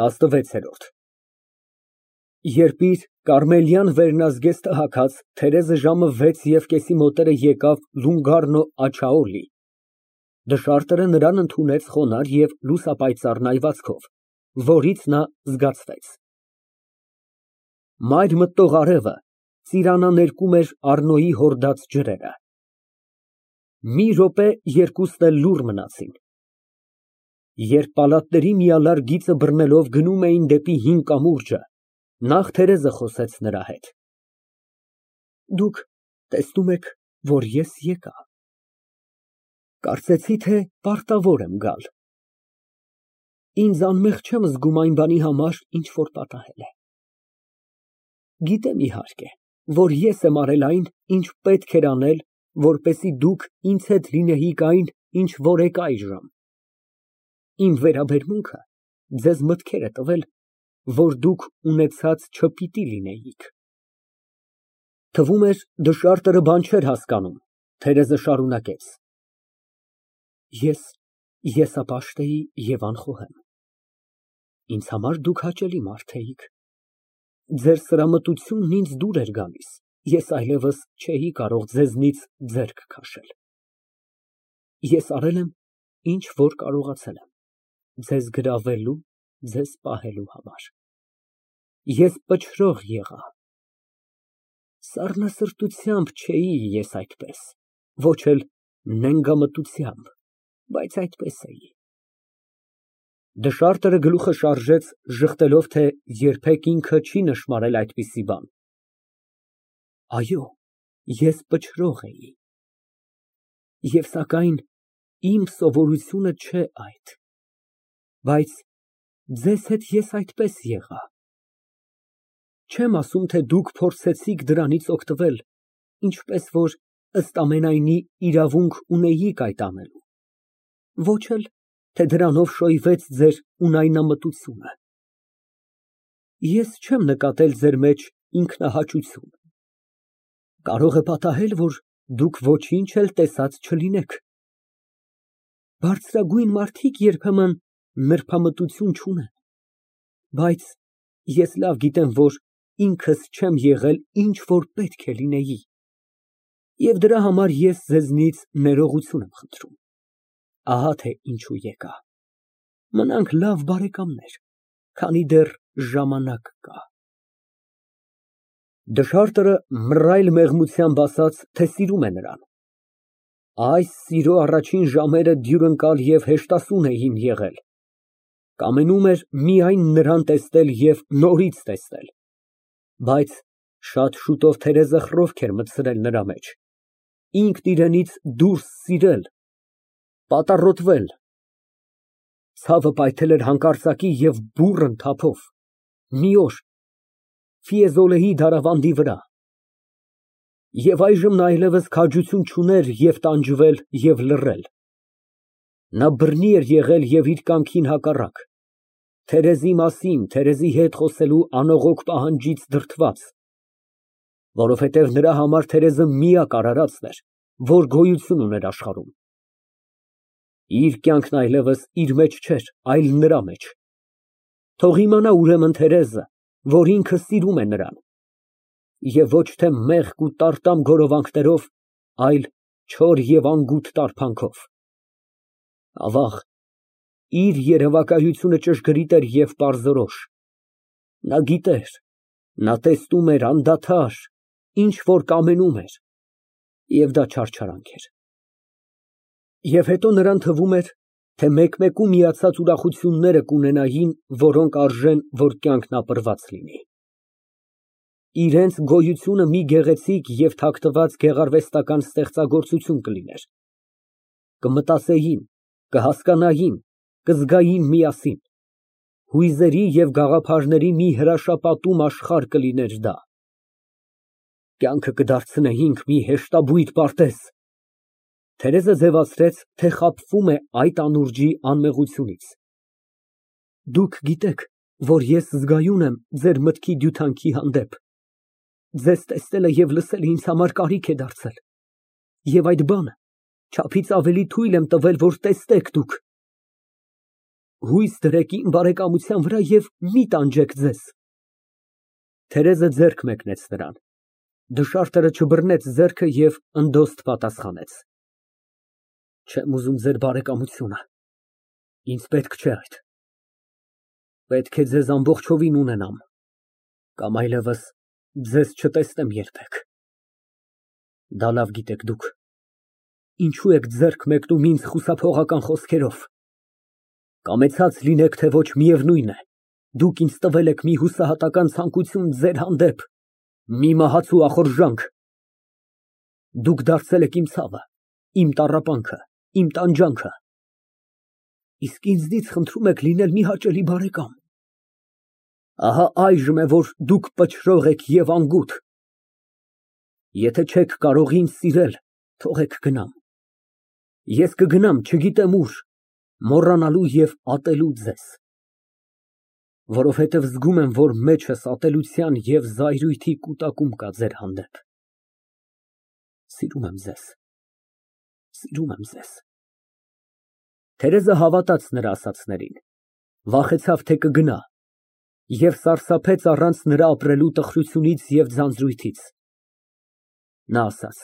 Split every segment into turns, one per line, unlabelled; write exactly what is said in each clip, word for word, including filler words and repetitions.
տասնվեցերորդ Երբ իր կարմելյան վերնազգեստը հագած, Թերեզը ժամը վեց և կեսի մոտերը եկավ Լունգարնո Աջաուլի, դշարտը նրան ընդունեց խոնարհ և լուսապայծառ նայվածքով, որից նա զգացվեց։ Մայր մտնող արևը ծիրանաներկում էր Առնոյի հորդած ջրերը։ Մի րոպե երկուսն էլ լուռ մնացին։ Երբ պալատների միալար գիծը բռնելով գնում էին դեպի հին կամուրջը, նախ Թերեզը խոսեց նրա հետ։ Դուք տեսնում եք, որ ես եկա։ Կարծեցի, թե պարտավոր եմ գալ։ Ինձ անմեղ չեմ զգում այն բանի համար, ինչ որ պատահել է։ Գիտեմ, իհարկե, որ ես եմ արել այն, ինչ պետք էր անել, որպեսզի դուք ինձ հետ լինեիք այն, ինչ որ եք այժմ։ Իմ վերաբերմունքը ձեզ մտքեր է տվել, որ դուք ունեցած չպիտի լինեիք։ Թվում էր դշարտը բան չէր հասկանում, Թերեզը շարունակեց. Ես եսապաշտ էի և անխոհեմ։ Ինձ համար դուք հաճելի մարդ էիք։ Ձեր սրամտությունն ինձ դուր էր գալիս, ես այլևս չէի կարող ձեզնից ձեռք քաշել։ Ես արել եմ, ինչ որ կարողացել եմ, ձեզ գրավելու, ձեզ պահելու համար։ Ես պչրող եղա։ Սառնասրտությամբ չէի ես այդպես, ոչ էլ նենգամտությամբ, բայց այդպես էի։ Դշարտը գլուխը շարժեց, ժխտելով, թե երբեք ինքը չի նշմարել այդպիսի բան։ Այո, ես պչրող էի։ Եվ սակայն իմ սովորությունը չէ այդ, բայց ձեզ հետ ես այդպես եղա։ Չեմ ասում, թե դուք փորձեցիք դրանից օգտվել, ինչպես որ ըստ ամենայնի իրավունք ունեիք այդ անելու, ոչ էլ, թե դրանով շոյվեց ձեր ունայնամտությունը։ Ես չեմ նկատել ձեր մեջ ինքնահաճություն։ Կարող է պատահել, որ դուք ոչինչ էլ տեսած չլինեք։ Բարձրագույն մարդիկ երբեմն նրբամտություն չունեն, բայց ես լավ գիտեմ, որ ինքս չեմ եղել, ինչ որ պետք է լինեի, և դրա համար ես ձեզնից ներողություն եմ խնդրում։ Ահա թե ինչու եկա։ Մնանք լավ բարեկամներ, քանի դեռ ժամանակ կա։ Դշարտը մռայլ մեղմությամբ ասաց, թե սիրում է նրան։ Այս սիրո առաջին ժամերը դյուրընկալ և հեշտասուն էին եղել, կամենում էր միայն նրան տեսնել և նորից տեսնել, բայց շատ շուտով Թերեզը խռովք էր մտցրել նրա մեջ, ինքն իրենից դուրս սիրել, պատառոտվել, ցավը պայթել էր հանկարծակի և բուռն թափով, մի օր Ֆիեզոլեի դարավանդի վրա, և այժմ նա այլևս քաջություն չուներ և տանջվել, և լռել։ Նա բռնի էր եղել և իր կամքին հակառակ, Թերեզի մասին, Թերեզի հետ խոսելու անողոք պահանջից դրդված, որովհետև նրա համար Թերեզը միակ արարածն էր, որ գոյություն ուներ աշխարհում։ Իր կյանքն այլևս իր մեջ չէր, այլ նրա մեջ։ Թող իմանա ուրեմն Թերեզը, որ ինքը սիրում է նրան, և ոչ թե մեղք ու տարտամ գորովանքներով, այլ չոր և անգութ տարվանքով։ Ավաղ, իր երևակայությունը ճշգրիտ էր և պարզորոշ։ Նա գիտեր, նա տեսնում էր անդադար, ինչ որ կամենում էր, և դա չարչարանք էր։ Եվ հետո նրան թվում էր, թե մեկ֊մեկու միացած ուրախությունները կունենային, որոնք արժեն, որ կյանքն ապրված լինի։ Իրենց գոյությունը մի գեղեցիկ և թաքնված գեղարվեստական ստեղծագործություն կլիներ։ Կմտածեին, կհասկանային, կզգային միասին, հույզերի և գաղափարների մի հրաշապատում աշխարհ կլիներ դա։ Կյանքը կդարձնեինք մի հեշտաբույտ պարտեզ։ Թերեզը ձևացրեց, թե խաբվում է այդ անուրջի անմեղությունից։ Դուք գիտեք, որ ես զգայուն եմ ձեր մտքի դյութանքի հանդեպ։ Ձեզ տեսնելը և լսելը ինձ համար կարիք է դարձել, և այդ բանը չափից ավելի թույլ եմ տվել, որ տեսնեք դուք։ հույս դրեք իմ բարեկամության վրա և մի տանջեք ձեզ։ Թերեզը ձեռք մեկնեց նրան։ Դշարտերը չբռնեց ձեռքը և ընդոստ պատասխանեց. Չեմ ուզում ձեր բարեկամությունը, ինձ պետք չէ այդ։ Պետք է ձեզ ամբողջովին ունենամ, կամ այլևս ձեզ չտեսնեմ երբեք։ Դա լավ գիտեք դուք, ինչու եք ձեռք մեկնում ինձ խուսափողական խոսքերով։ Կամեցած լինեք, թե ոչ, միևնույն է, դուք ինձ տվել եք մի հուսահատական ցանկություն ձեր հանդեպ, մի մահացու ախորժանք։ Դուք դարձել եք իմ ցավը, իմ տառապանքը, իմ տանջանքը, իսկ ինձնից խնդրում եք լինել մի հաճելի բարեկամ։ Ահա այժմ է, որ դուք պչրող եք և անգութ։ Եթե չեք կարող ինձ սիրել, թողեք գնամ։ Ես կգնամ չգիտեմ ուր, մոռանալու և ատելու ձեզ, որովհետև զգում եմ, որ մեջս ատելության և զայրույթի կուտակում կա ձեր հանդեպ։ Սիրում եմ ձեզ, սիրում եմ ձեզ։ Թերեզը հավատաց նրա ասածներին, վախեցավ, թե կգնա, և սարսափեց առանց նրա ապրելու տխրությունից և ձանձրույթից։ Նա ասաց.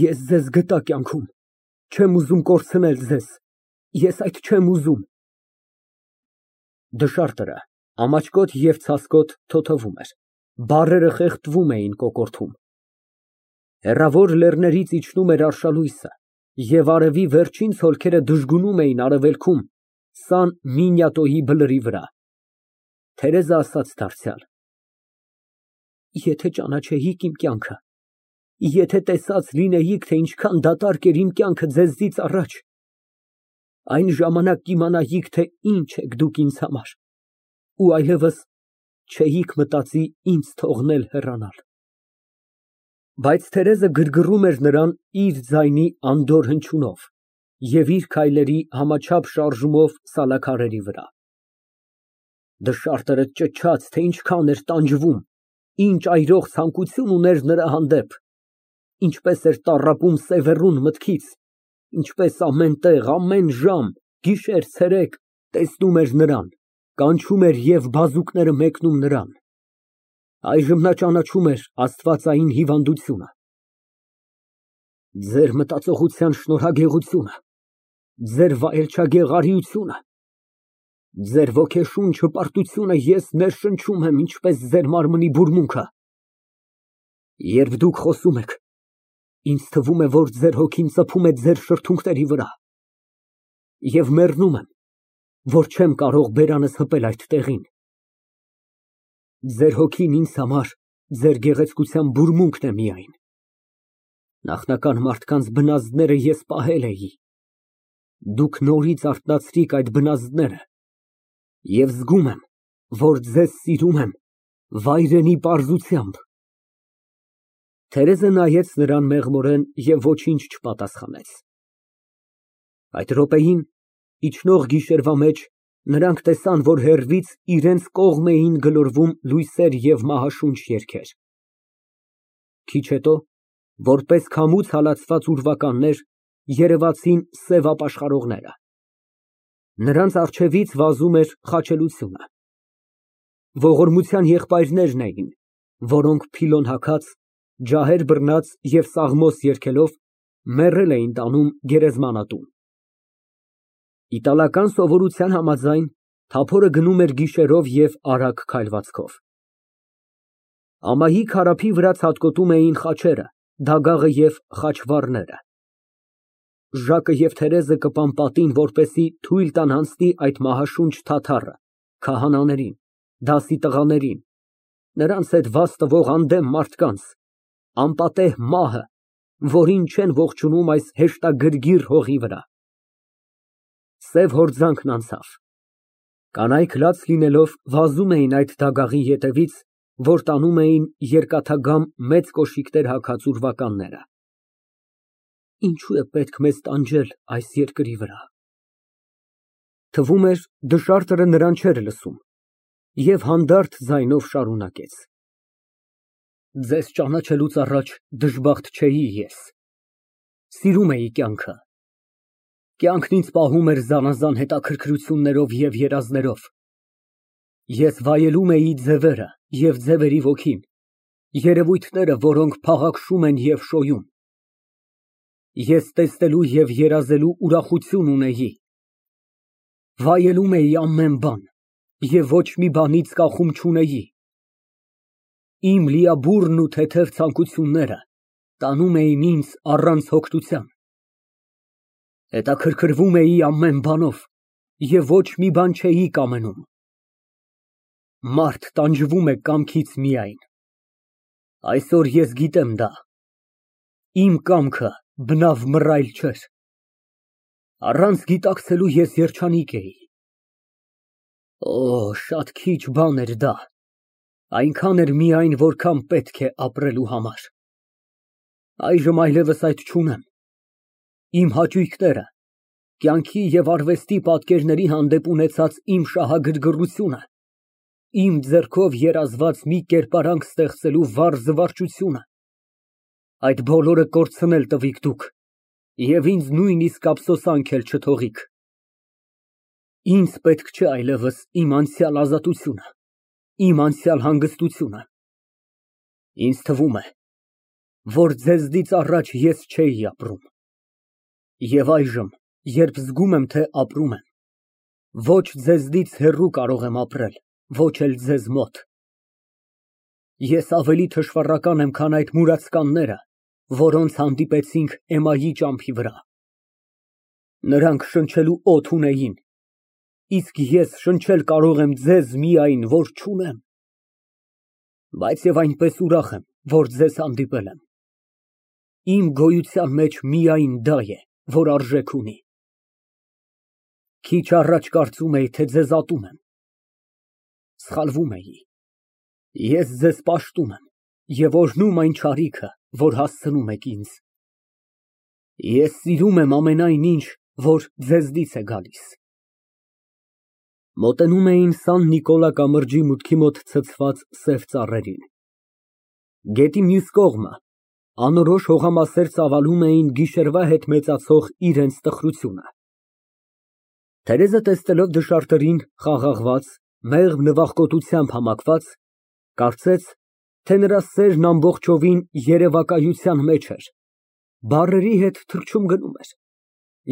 Ես ձեզ գտա կյանքում, չեմ ուզում կորցնել ձեզ, ես այդ չեմ ուզում։ Դշարտը ամաչկոտ և ցասկոտ թոթվում էր, բառերը խեղդվում էին կոկորդում։ Հեռավոր լեռներից իջնում էր արշալույսը, և արևի վերջին ցոլքերը դժգունում էին արևելքում Սան Մինյատոյի բլրի վրա։ Թերեզը ասաց դարձյալ. Եթե ճանաչեիք իմ կյանքը, եթե տեսած լինեիք, թե ինչքան դատարկ էր իմ կյանքը ձեզնից առաջ, այն ժամանակ կիմանայիք, թե ինչ եք դուք ինձ համար, ու այլևս չէիք մտածի ինձ թողնել հեռանալ։ Բայց Թերեզը գրգռում էր նրան իր ձայնի անդորր հնչյունով և իր քայլերի համաչափ շարժումով սալաքարերի վրա։ Դշարտը ճչաց, թե ինչքան էր տանջվում, ինչ այրող ցանկություն ուներ նրա հանդեպ, ինչպես էր տառապում սևեռուն մտքից, ինչպես ամեն տեղ, ամեն ժամ, գիշեր֊ցերեկ տեսնում էր նրան, կանչում էր և բազուկները մեկնում նրան։ Այժմ նա ճանաչում էր աստվածային հիվանդությունը։ Ձեր մտածողության շնորհագեղությունը, ձեր վայելչագեղ արիությունը, ձեր ոգեշունչ հպարտությունը ես ներշնչում եմ, ինչպես ձեր մարմնի բուրմունքը։ Երբ դուք խոսում եք, ինձ թվում է, որ ձեր հոգին ծփում է ձեր շրթունքների վրա, և մեռնում եմ, որ չեմ կարող բերանս հպել այդ տեղին։ Ձեր հոգին ինձ համար ձեր գեղեցկության բուրմունքն է միայն։ Նախնական մարդկանց բնազդները ես պահել էի, դուք նորից արթնացրիք այդ բնազդները, և զգում եմ, որ ձեզ սիրում եմ վայրենի պարզությամբ։ Թերեզը նայեց նրան մեղմորեն և ոչինչ չպատասխանեց։ Այդ րոպեին, իջնող գիշերվա մեջ, նրանք տեսան, որ հեռվից իրենց կողմ էին գլորվում լույսեր և մահաշունչ երգեր։ Քիչ հետո, որպես քամուց հալածված ուրվականներ, երևացին սև ապաշխարողները։ Նրանց առջևից վազում էր խաչելությունը։ Ողորմության եղբայրներն էին, որոնք փիլոն հագած, ջահեր բռնած և սաղմոս երգելով մեռել էին տանում գերեզմանատուն։ Իտալական սովորության համաձայն, թափորը գնում էր գիշերով և արագ քայլվածքով։ Ամայի քարափի վրա ցատկոտում էին խաչերը, դագաղը և խաչվառները։ Ժակը և Թերեզը կպան պատին, որպեսզի թույլ տան անցնի այդ մահաշունչ թաթառը քահանաներին, դասի տղաներին, նրանց հետ վազ տվող անդեմ մարդկանց, անպատեհ մահը, որին չեն ողջունում այս հեշտագրգիռ հողի վրա։ Սև հորձանքն անցավ։ Կանայք լաց լինելով վազում էին այդ դագաղի ետևից, որ տանում էին երկաթագամ մեծ կոշիկներ հագած ուրվականները։ Ինչո՞ւ է պետք մեզ տանջել այս երկրի վրա։ Թվում էր, դշարտը նրան չէր լսում և հանդարտ ձայնով շարունակեց. Ձեզ ճանաչելուց առաջ դժբախտ չէի ես, սիրում էի կյանքը, Կյանքն ինձ պահում էր զանազան հետաքրքրություններով և երազներով, ես վայելում էի ձևերը և ձևերի ոգին, երևույթները, որոնք փաղաքշում են և շոյում, ես տեսնելու և երազելու ուրախություն ունեի, վայելում էի ամեն բան և ոչ մի բանից կախում չունեի, իմ լիաբուռն ու թեթև ցանկությունները տանում էին ինձ առանց հոգնության, հետաքրքրվում էի ամեն բանով և ոչ մի բան չէի կամենում, մարդ տանջվում է կամքից միայն, այսօր ես գիտեմ դա, իմ կամքը բնավ մռայլ չէր, առանց գիտակցելու ես երջանիկ էի, օ, շատ քիչ բան էր դա, այնքան էր միայն, որքան պետք է ապրելու համար, այժմ այլևս այդ չունեմ, իմ հաճույքները, կյանքի և արվեստի պատկերների հանդեպ ունեցած իմ շահագրգռությունը, իմ ձեռքով երազված մի կերպարանք ստեղծելու վառ զվարճությունը, այդ բոլորը կորցնել տվիք դուք և ինձ նույնիսկ ափսոսանք էլ չթողիք, ինձ պետք չէ այլևս իմ անցյալ ազատությունը, իմ անցյալ հանգստությունը, ինձ թվում է, որ ձեզնից առաջ ես չէի ապրում, և այժմ, երբ զգում եմ, թե ապրում եմ, ոչ ձեզնից հեռու կարող եմ ապրել, ոչ էլ ձեզ մոտ, ես ավելի թշվառական եմ, քան այդ մուրացկանները, որոնց հանդիպեցինք Էմմայի ճամփի վրա, նրանք շնչելու օդ ունեին, իսկ ես շնչել կարող եմ ձեզ միայն, որ չունեմ, բայց և այնպես ուրախ եմ, որ ձեզ հանդիպել եմ, իմ գոյության մեջ միայն դա է, որ արժեք ունի, քիչ առաջ կարծում էի, թե ձեզ ատում եմ, սխալվում էի, ես ձեզ պաշտում եմ և օրհնում այն չարիքը, որ հասցնում եք ինձ, ես սիրում եմ ամենայն ինչ, որ ձեզնից է գալիս։ Մոտենում էին Սան Նիկոլա կամրջի մուտքի մոտ ցցված սև ծառերին, գետի մյուս կողմը անորոշ հողամասեր ծավալում էին գիշերվա հետ մեծացող իրենց տխրությունը։ Թերեզը տեսնելով դժարտերին խաղաղված, մեղմ նվախկոտությամբ համակված, կարծեց, թե նրա սերն ամբողջովին երևակայության մեջ էր, բառերի հետ թռչուն գնում էր,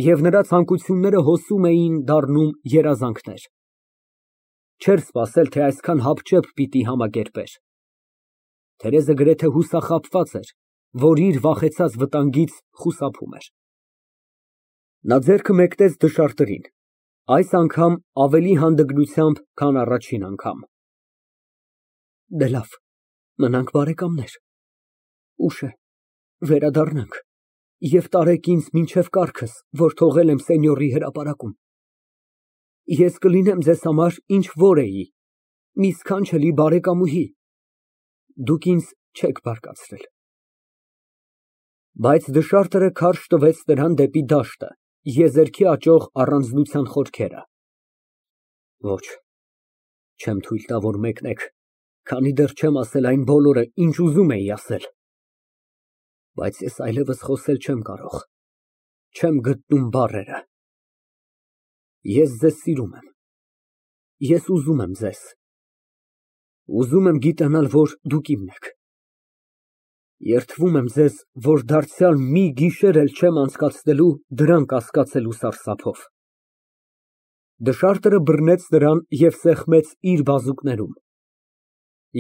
և նրա ցանկությունները հոսում էին, դառնում երազանքներ, չէր սպասել, թե այսքան հապճեպ պիտի համակերպեր, Թերեզը գրեթե հուսախաբված էր, որ իր վախեցած վտանգից խուսափում էր։ Նա ձեռքը մեկնեց դժարտերին, այս անգամ ավելի հանդգնությամբ, քան առաջին անգամ։ Դե լավ, մնանք բարեկամներ, ուշ է, վերադառնանք և տարեք ինձ մինչև կառքս, որ թողել եմ սենյորի հրապարակում, ես կլինեմ ձեզ համար, ինչ որ էի, մի սքանչելի բարեկամուհի, դուք ինձ չեք բարկացրել։ Բայց դժարտերը քարշ տվեց նրան դեպի դաշտը, եզերքի աճող առանձնության խորքերը։ Ոչ, չեմ թույլ տա, որ մեկնեք, քանի դեռ չեմ ասել այն բոլորը, ինչ ուզում էի ասել, բայց ես այլևս խոսել չեմ կարող, չեմ գտնում բառերը։ Ես ձեզ սիրում եմ, ես ուզում եմ ձեզ, ուզում եմ գիտենալ, որ դուք իմն եք, երդվում եմ ձեզ, որ դարձյալ մի գիշեր էլ չեմ անցկացնելու դրան կասկածելու սարսափով։ Դժարտերը բռնեց նրան և սեղմեց իր բազուկներում,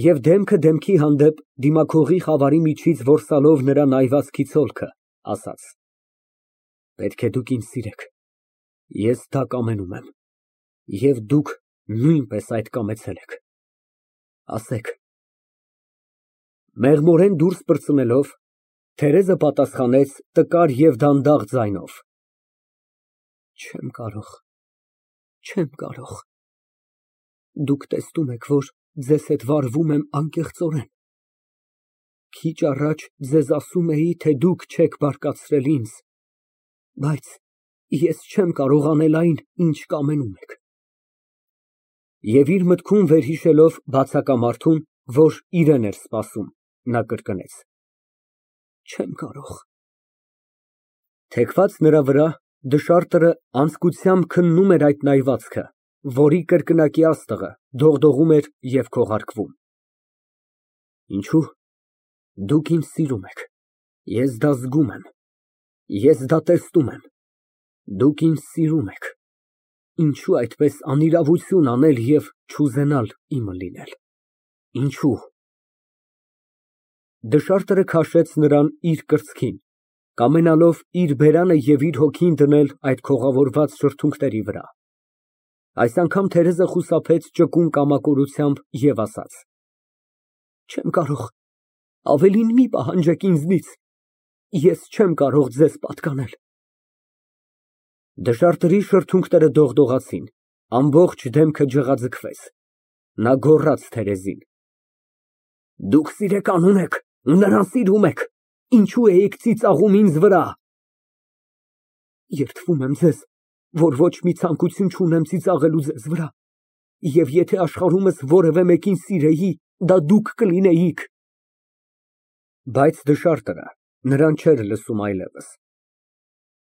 և դեմքը դեմքի հանդեպ դիմաքողի խավարի միջից որսալով նրա նայվածքի ցոլքը, ասաց. Պետք է դուք ինձ սիրեք, ես դա կամենում եմ, և դուք նույնպես այդ կամեցել եք, ասեք։ Մեղմորեն դուրս պրծնելով, Թերեզը պատասխանեց տկար և դանդաղ ձայնով. Չեմ կարող, չեմ կարող, դուք տեսնում եք, որ ձեզ հետ վարվում եմ անկեղծորեն, քիչ առաջ ձեզ ասում էի, թե դուք չեք բարկացրել ինձ, բայց ես չեմ կարող անել այն, ինչ կամենում եք։ Եվ իր մտքում վերհիշելով բացակամարդուն, որ իրան էր սպասում, նա կրկնեց. Չեմ կարող։ Թեքված նրա վրա Դշարտը անձկությամբ քննում էր այդ նայվածքը, որի կրկնակի աստղը դողդողում էր և քողարկվում։ Ինչո՞ւ։ Դուք ինձ սիրում եք, ես դա զգում եմ, ես դա տեսնում եմ, դուք ինձ սիրում եք, ինչո՞ւ այդպես անիրավություն անել և չուզենալ իմը լինել, ինչո՞ւ։ Դշարտը քաշեց նրան իր կրծքին, կամենալով իր բերանը և իր հոգին դնել այդ քողավորված շրթունքների վրա։ Այս անգամ Թերեզը խուսափեց ճկուն կամակորությամբ և ասաց. Չեմ կարող, ավելին մի պահանջեք ինձնից, ես չեմ կարող ձեզ պատկանել։ Դշարտերի շրթունքները դողդողացին, ամբողջ դեմքը ջղաձգվեց, նա գոռաց Թերեզին. Դուք սիրեկան ունեք ու նրան սիրում եք, ինչո՞ւ էիք ծիծաղում ինձ վրա։ Երդվում եմ ձեզ, որ ոչ մի ցանկություն չունեմ ծիծաղելու ձեզ վրա, և եթե աշխարհումս որևէ մեկին սիրեի, դա դուք կլինեիք։ Բայց դշարտը նրան չէր լսում այլևս։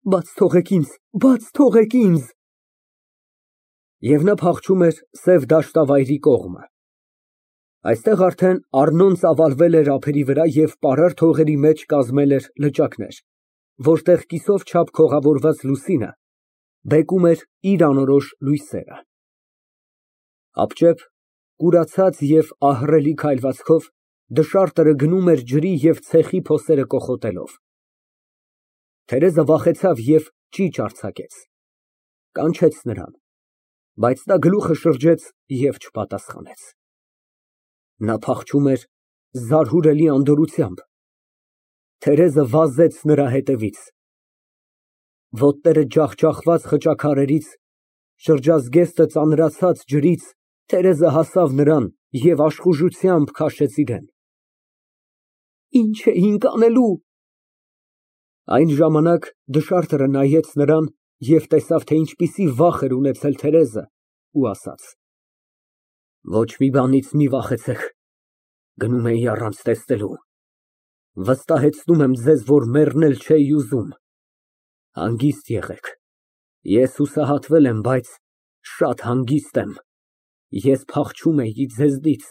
Բաց թողեք ինձ, բաց թողեք ինձ։ Եվ նա փախչում էր սև դաշտավայրի կողմը։ Այստեղ արդեն Առնոն ծավալվել էր ափերի վրա և պարարտ հողերի մեջ կազմել էր լճակներ, որտեղ կիսով չափ քողավորված լուսինը բեկում էր իր անորոշ լույսերը։ Ապճեպ, կուրացած և ահռելի քայլվածքով դշարտը գնում էր ջրի և ցեխի փոսերը կոխոտելով։ Թերեզը վախեցավ և ճիչ արձակեց, կանչեց նրան, բայց նա գլուխը շրջեց և չպատասխանեց։ Նա փախչում էր զարհուրելի անդորրությամբ։ Թերեզը վազեց նրա հետևից։ Ոտները ջախջախված խճաքարերից, շրջազգեստը ծանրացած ջրից Թերեզը հասավ նրան և աշխուժությամբ քաշեց իրան։ Ինչ էինք անելու։ Այն ժամանակ դշարտը նայեց նրան և տեսավ, թե ինչպիսի վախ էր ունեցել Թերեզը ու ասաց. Ոչ մի բանից մի վախեցեք, գնում էի առանց տեսնելու, վստահեցնում եմ ձեզ, որ մեռնել չէի ուզում, հանգիստ եղեք, ես հուսահատվել եմ, բայց շատ հանգիստ եմ, ես փախչում էի ձեզնից,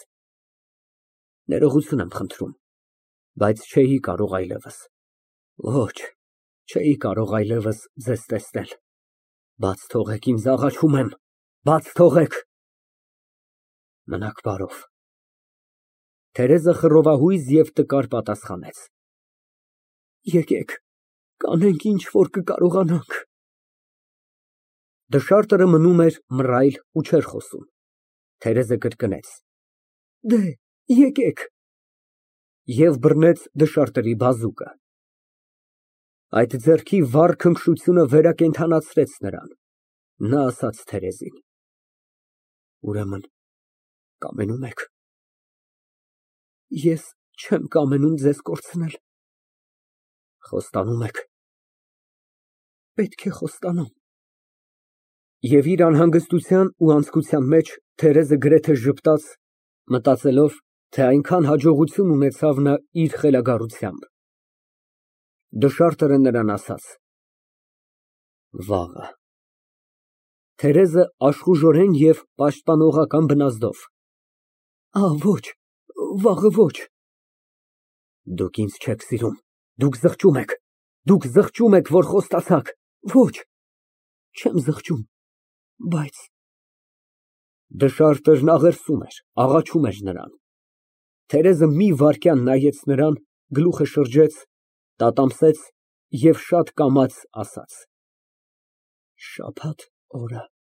ներողություն եմ խնդրում, բայց չէի կարող այլևս, ոչ, չէի կարող այլևս ձեզ տեսնել, բաց թողեք ինձ, աղաչում եմ, բաց թողեք։ Մնաք բարով։ Թերեզը խռովահույզ և տկար պատասխանեց. Եկեք, կանենք ինչ որ կկարողանանք։ Դշարտը մնում էր մռայլ ու չէր խոսում։ Թերեզը կրկնեց. Դե, եկեք։ Եվ բռնեց դշարտի բազուկը։ Այդ ձեռքի վառ քնքշությունը վերակենդանացրեց նրան։ Նա ասաց Թերեզին. Ուրեմն կամենում եք։ Ես չեմ կամենում ձեզ կորցնել։ Խոստանում եք։ Պետք է խոստանամ։ Եվ իր անհանգստության ու անձկության մեջ Թերեզը գրեթե ժպտաց, մտածելով, թե այնքան հաջողություն ունեցավ նա իր խելագարությամբ։ Դշարտը նրան ասաց. Վաղը։ Թերեզը աշխուժորեն և պաշտպանողական բնազդով. Ա, ոչ, վաղը ոչ։ Դուք ինձ չեք սիրում, դուք զղջում եք, դուք զղջում եք, որ խոստացաք, ոչ, չեմ զղջում, բայց… Դշարտն աղերսում էր, աղաչում էր նրան։ Թերեզը մի վայրկյան նայեց նրան, գլուխը շրջեց, տատամսեց և շատ կամաց ասաց. Շաբաթ օրը։